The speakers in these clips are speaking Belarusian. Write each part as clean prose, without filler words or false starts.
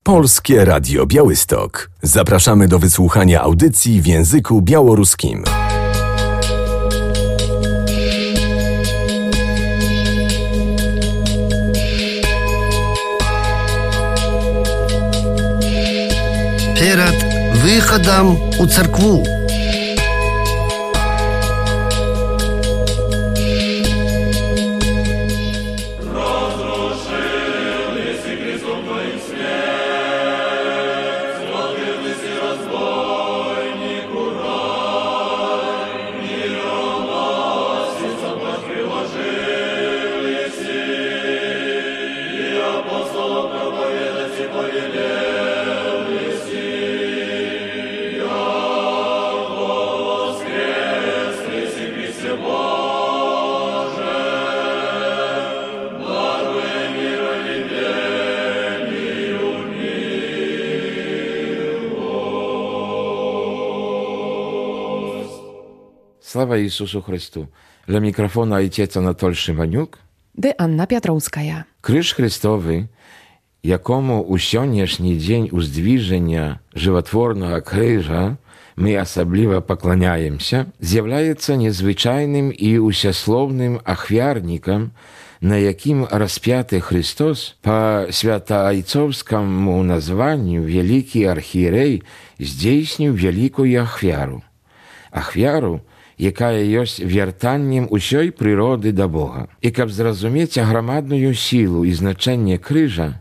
Polskie Radio Białystok. Zapraszamy do wysłuchania audycji w języku białoruskim. Перед выходом у церкву. Слава Ісусу Христу! Для мікрофона Отець Анатолій Шиманюк. Dy Anna Piotrowskaja. Крыж Христовий, якому у сьогоднішній день уздвіження животворного крижа ми особливо поклоняємося, з'являється незвичайним і усясловним ахвярником, на яким розп'ятий Христос по святоойцовському названню великий архієрей здійснив велику ахвяру. Ахвяру, яка є вертанням усієї природи до Бога. І щоб зрозуміти громадну силу і значення крижа,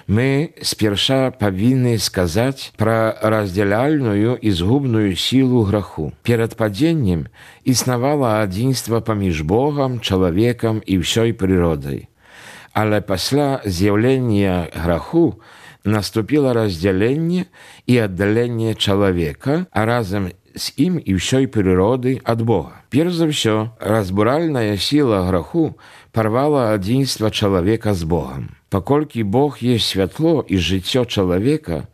ми сперша повинні сказати про розділяльну і згубну силу греху. Перед падінням існувало одинство поміж Богом, чоловіком і всією природою. Але після з'явлення греху наступило розділення і віддалення чоловіка, а разом з ім і всієї природи від Бога. Перш за все, розбуральна сила греху порвала одинство чоловіка з Богом. Покольки Бог є світло і життя чоловіка,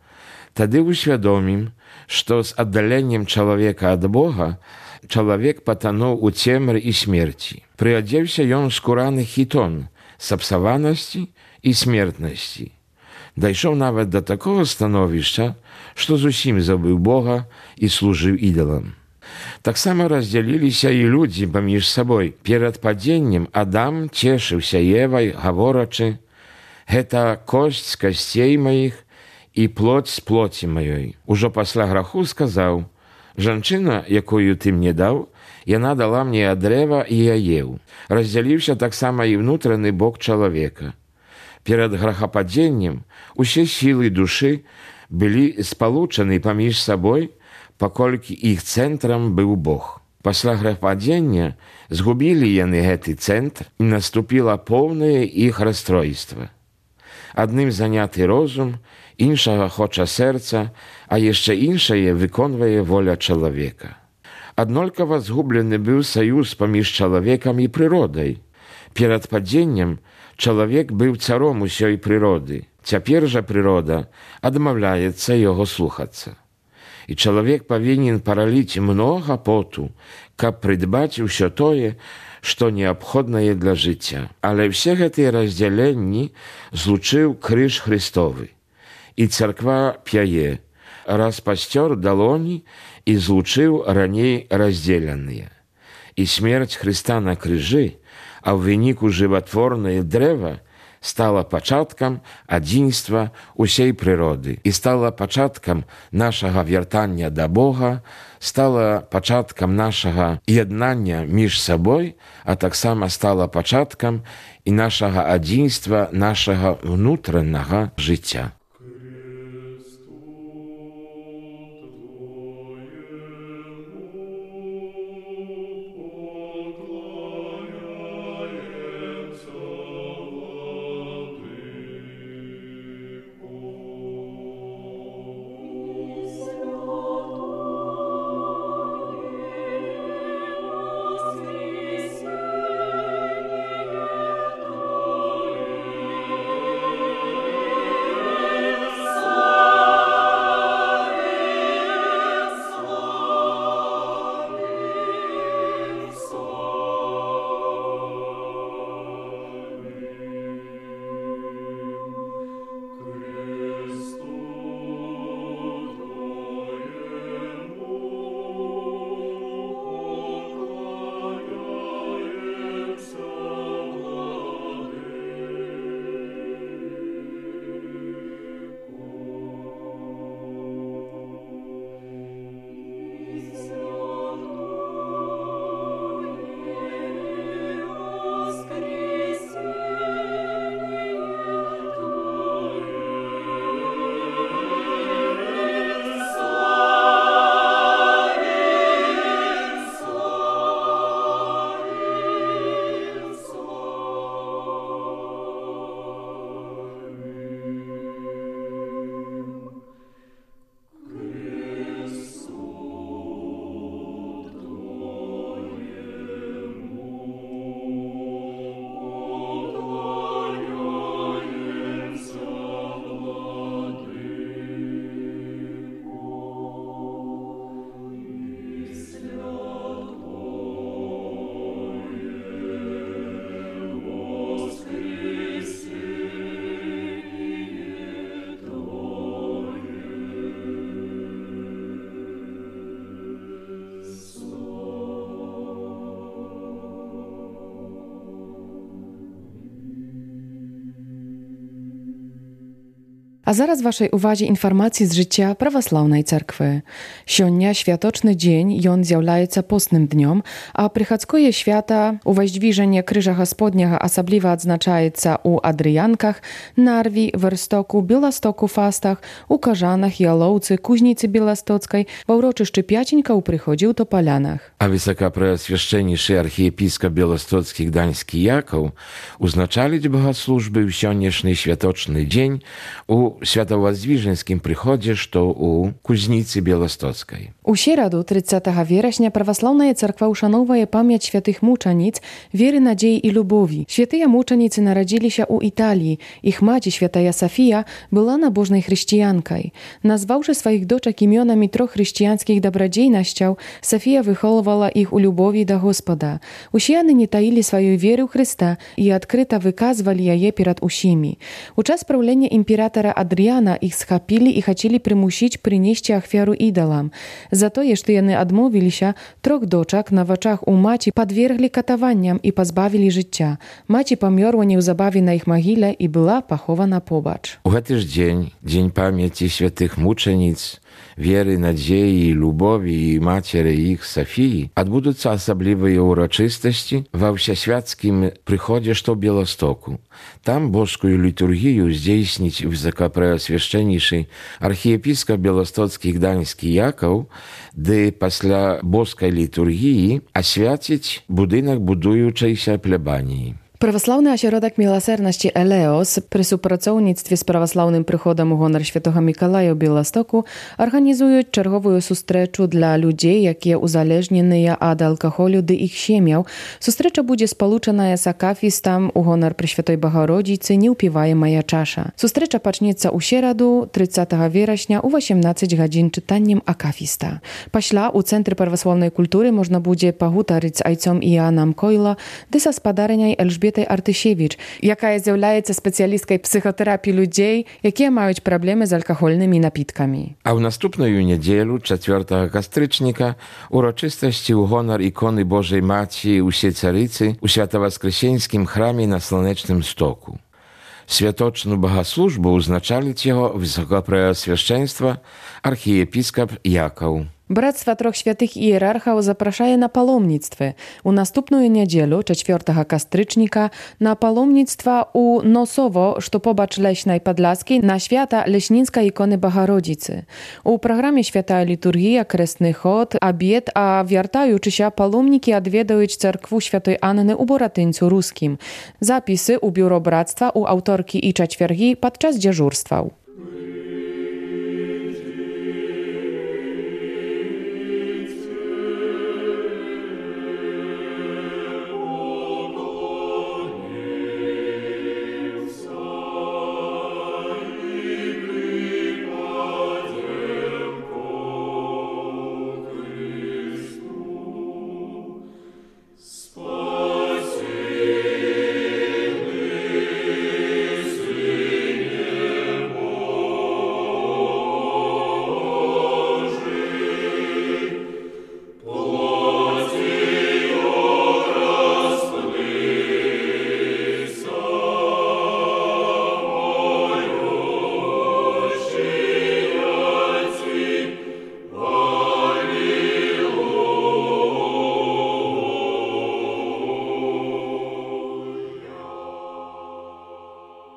тоді усвідомим, що з віддаленням чоловіка від Бога чоловік потонув у темрі і смерті. Приодівся він скураний хітон, сапсованості і смертності. Дійшов навіть до такого становища, що зовсім забив Бога і служив ідолам. Так само розділилися і люди поміж собою. Перед падінням Адам тішився Євою, говорячи: «Гета кость з костей моїх і плоть з плоті моєї». Уже після греху сказав: «Жінчина, якою ти мені дав, вона дала мені від дерева, і я їв». Розділився так само і внутрішній Бог чоловіка. Перед грехопадінням усі сили душі були сполучені поміж собою, покольки їх центром був Бог. Після грехопадіння згубили вони цей центр, і наступило повне їх розстройство. Одним зайнятий розум, іншого хоче серце, а ще іншое виконує воля чоловіка. Однаково згублений був союз поміж чоловіком і природою. Перед падінням чоловік був царом усієї природи. Тепер же природа відмовляється його слухатися. І чоловік повинен пролити много поту, щоб придбати все те, що необхідне для життя. Але всі ці розділення злучив криж Христовий. І церква п'є, розпостер долоні і злучив раніше розділені. І смерть Христа на крижі, а в виніку животворне древо, стало початком одинства усієї природи і стало початком нашого вертання до Бога, стало початком нашого єднання між собою, а так само стало початком і нашого одинства, нашого внутрішнього життя. A zaraz waszej uwadze informacji z życia prawosławnej cerkwy. Sjónia światoczny dzień, jon zjawляється postnym dniom, a przychodzkoje świata uwaźdźwiżenie Krzyża Господнього особливо odznaczaється u Adriankach, Narwi, Werstoku, Bielastoku, Fastach, u Korzanach, Jalowcy, Kuźnicy Bielastockiej, w uroczyszczy Piacińka u Przychodził to Polanach. A Высокопреосвященнейший архиепископ Белостоцкий Гданьский Яков узначалить богослужбы в сённяшний святочный день у Святовоздвиженским приходе, что у Кузницы Белостоцкой. U środu 30 września prawosławna cerkwa uszanowuje pamięć świętych muczenic, wiery, nadziei i lubowi. Święte muczenicy narodzili się u Italii. Ich macie, święta Sofia, była nabożnej chrześcijanką. Nazwawszy swoich doczek imionami 3 chrześcijańskich dobrodziejności, Sofia wychowywała ich u lubowi do Gospoda. Usiany nie taili swojej wiery w Chrysta i odkryto wykazywali jej przed usimi. U czas prawlenia imperatora Adriana ich schapili i chcieli przymusić przynieść ofiarę idolam. Za to, że jeny odmówili się, 3 doczek na oczach u maci podwiergli katowaniom i pozbawili życia. Maci pomierła niezabawie na ich mogile i była pochowana pobacz. U ten dzień, Dzień Pamięci Świętych Muczenic, wiery, nadziei, lubowi i Maciery ich Sofii, odbudутся особливые урочистости во всесвятским приходе, что Белостоку. Там божскую литургию здійснить высокопреосвященнейший архиепископ Белостоцкий Гданьский Яков, де після божской литургии освятить будинок будуючейся плебании. Prawosławny ośrodek miłosierności Eleos przy współpracownictwie z prawosławnym przychodem u honor świętego Mikołaja w Białymstoku organizują czerwową sustreczu dla ludzi, jakie uzależnione od alkoholu do ich siemiał. Sustrecza będzie spoluczona z akafistem u honor Preszwiętej Bogorodicy Nie upiwaje moja czasza. Sustrecza pacznieca u środu 30 września u 18 godzin czytaniem akafista. Pośla u Centrum Prawosławnej Kultury można będzie pohutorić z ojcem Ianem Kojlo, dysa spadareniaj Elżbietą Artysiewicz, jaka zjawляється specjalistką psychoterapii ludzi, jakie mają problemy z alkoholnymi napitkami. A w następną niedzielę, 4 kastycznika, uroczystości u honor ikony Bożej Maci u Siecarycy u Świętowoskresieńskim chramie na Słonecznym Stoku. Światoczną bogosłużbę uznaczalić jego wysokopreoswieszczeństwo archiepiskop Jakov. Bractwo 3 świętych hierarchów zapraszaje na palomnictwo. U następną niedzielę, 4 kastycznika, na palomnictwo u Nosowo, što pobacz Leśnej Podlaskiej, na święta Leśnińska ikony Bogorodicy. U programie święta liturgia, kresny chod, obiad, a wiertajući się palomniki odwiedzają cerkwu świętej Anny u Boratyńcu Ruskim. Zapisy u biuro bractwa u autorki i czwartki podczas dyżurstwa.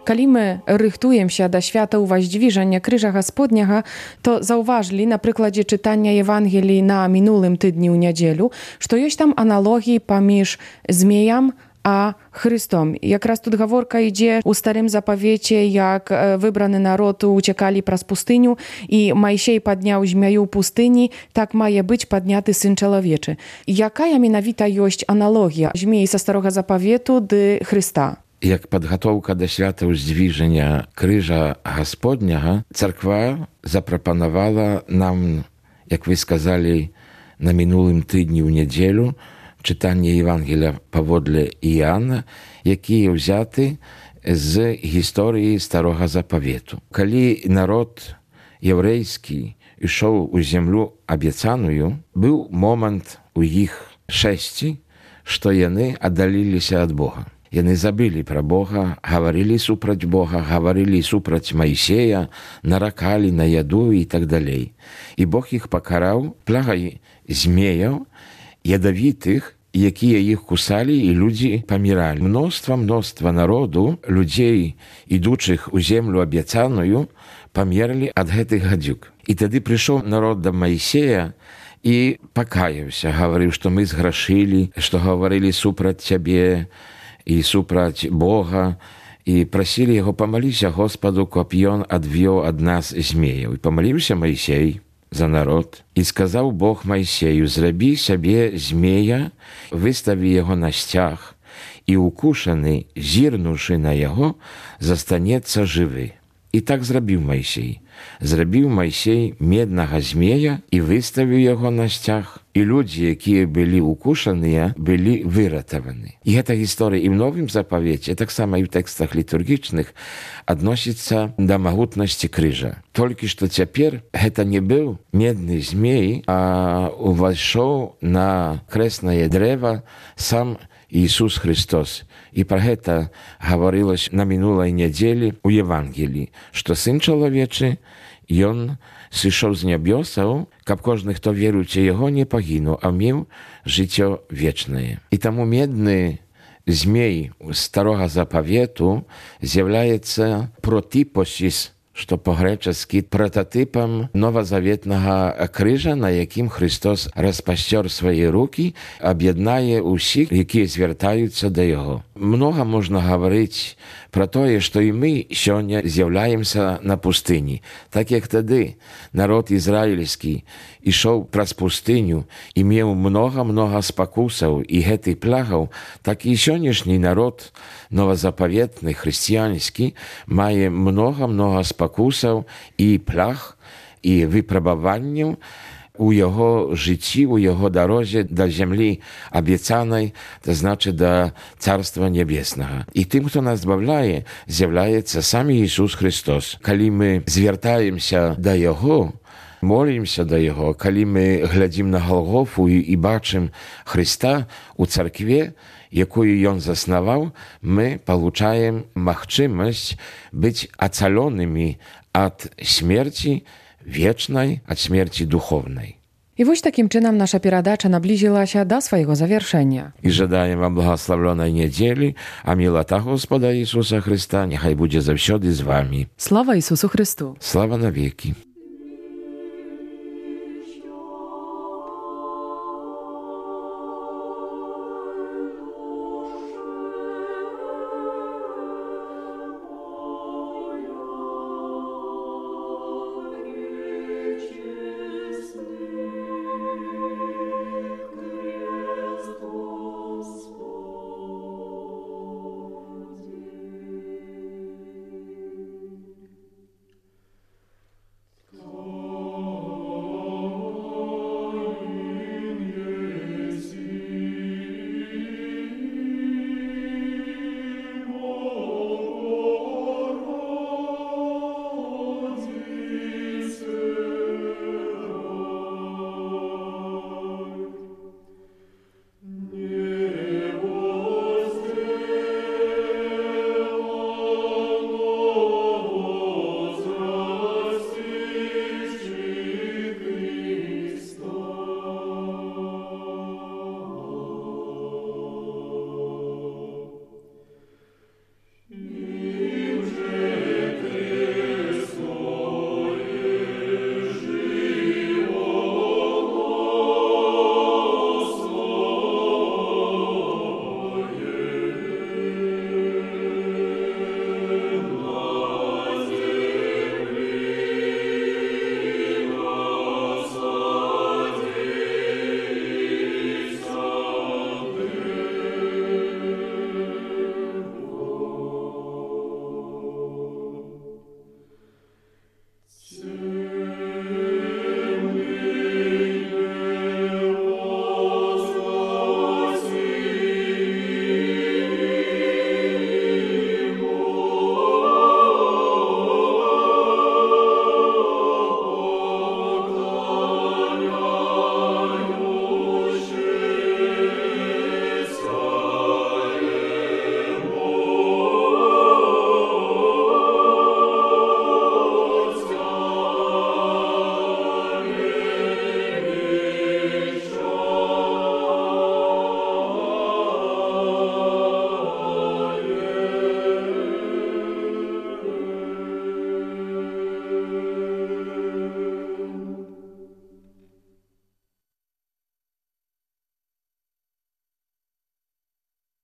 Kiedy my rychtujemy się do świata uwaźdźwiżenia Krzyża Gospodniego, to zauważyli na przykładzie czytania Ewangelii na minulym tygodniu niedzielu, że jest tam analogii pomiędzy zmiejem a Chrystom. Jak raz tu gaworka idzie u Starym Zapowiecie, jak wybrany naród uciekali przez pustyniu i Mojsiej podniał zmieju pustyni, tak ma być podniaty Syn Człowieczy. Jaka mianowita jest analogia zmiei ze Starego Zapowietu do Chrysta? Jak podgotowka do świata uzdwiżenia Krzyża Gospodniego, cerkwa zaproponowała nam, jak wy skazali na minulym tygodniu niedzielu, czytanie Ewangelia powodle Jana, jakie wzięty z historii Starego Zapowietu. Kiedy naród jewryjski szedł u ziemię obiecaną, był moment u ich 6, że oni oddalili się od Boga. Яны забылі пра Бога, гаварылі супраць Бога, гаварылі супраць Майсея, наракалі на яду і так далей. І Бог іх пакараў плагай змеяў, ядавітых, якія іх кусалі, і людзі паміралі. Мноства народу, людзей, ідучых у землю абяцаную, памерлі ад гэтых гадзюк. І тады прыйшоў народ да Майсея і пакаяўся, гаварыў, што мы зграшылі, што гаварылі супраць цябе і супраць Бога, і прасілі яго, памаліся Господу, каб ён адвёў ад нас змеяў. І памаліўся Майсей за народ. І сказаў Бог Майсею: зрабі сабе змея, выставі яго на сцяг, і укушаны, зірнуўшы на яго, застанецца жывы. І так зрабіў Майсей. Зрабіў Майсей меднага змея і выставіў яго на сцяг. І людзі, якія былі укушаныя, былі выратаваны. І гэта гісторыя і ў Новым Запавеце, таксама і ў тэкстах літургічных, адносіцца да магутнасці крыжа. Толькі што цяпер гэта не быў медны змей, а увайшоў на крэснае дрэва сам Ісус Христос. І пра гэта гаварылася на мінулай нядзелі ў Евангеліі, што Сын чалавечы, ён сышоў з нябёсаў, каб кожны, хто веруючы яго, не пагінуў, а меў жыццё вечнае. І таму медны змей старога запавету з'яўляецца протипосіс, што па-грэчаскі прататыпам новазаветнага крыжа, на якім Христос распасцёр свае рукі, аб'яднае ўсіх, якія звяртаюцца да яго. Многа можна гаварыць пра тое, што і мы сёння з'яўляемся на пустыні. Так як тады народ ізраільскі ішоў праз пустыню і меў многа спакусаў і гэтых плагаў, так і сённяшні народ новазапаветны, хрысціянскі, мае многа спакусаў і плаг і выпрабаванняў у яго жыцці, у яго дарозе да зямлі абяцанай, то значыць да Царства Нябеснага. І тым, хто нас збавляе, з'яўляецца сам Ісус Христос. Калі мы звяртаемся да Яго, молімся да Яго, калі мы глядзім на Галгофу і бачым Христа у царкве, якую ён заснаваў, мы получаем магчымасць быць ацалёнымі ад смерці вечнай, ад смерці духовнай. І вось такім чынам наша перадача наблізілася да свайго завяршэння. І жадаем вам благаславлёнай нядзелі, а мілата Господа Ісуса Христа няхай будзе заўсёды з вамі. Слава Ісусу Христу! Слава навекі!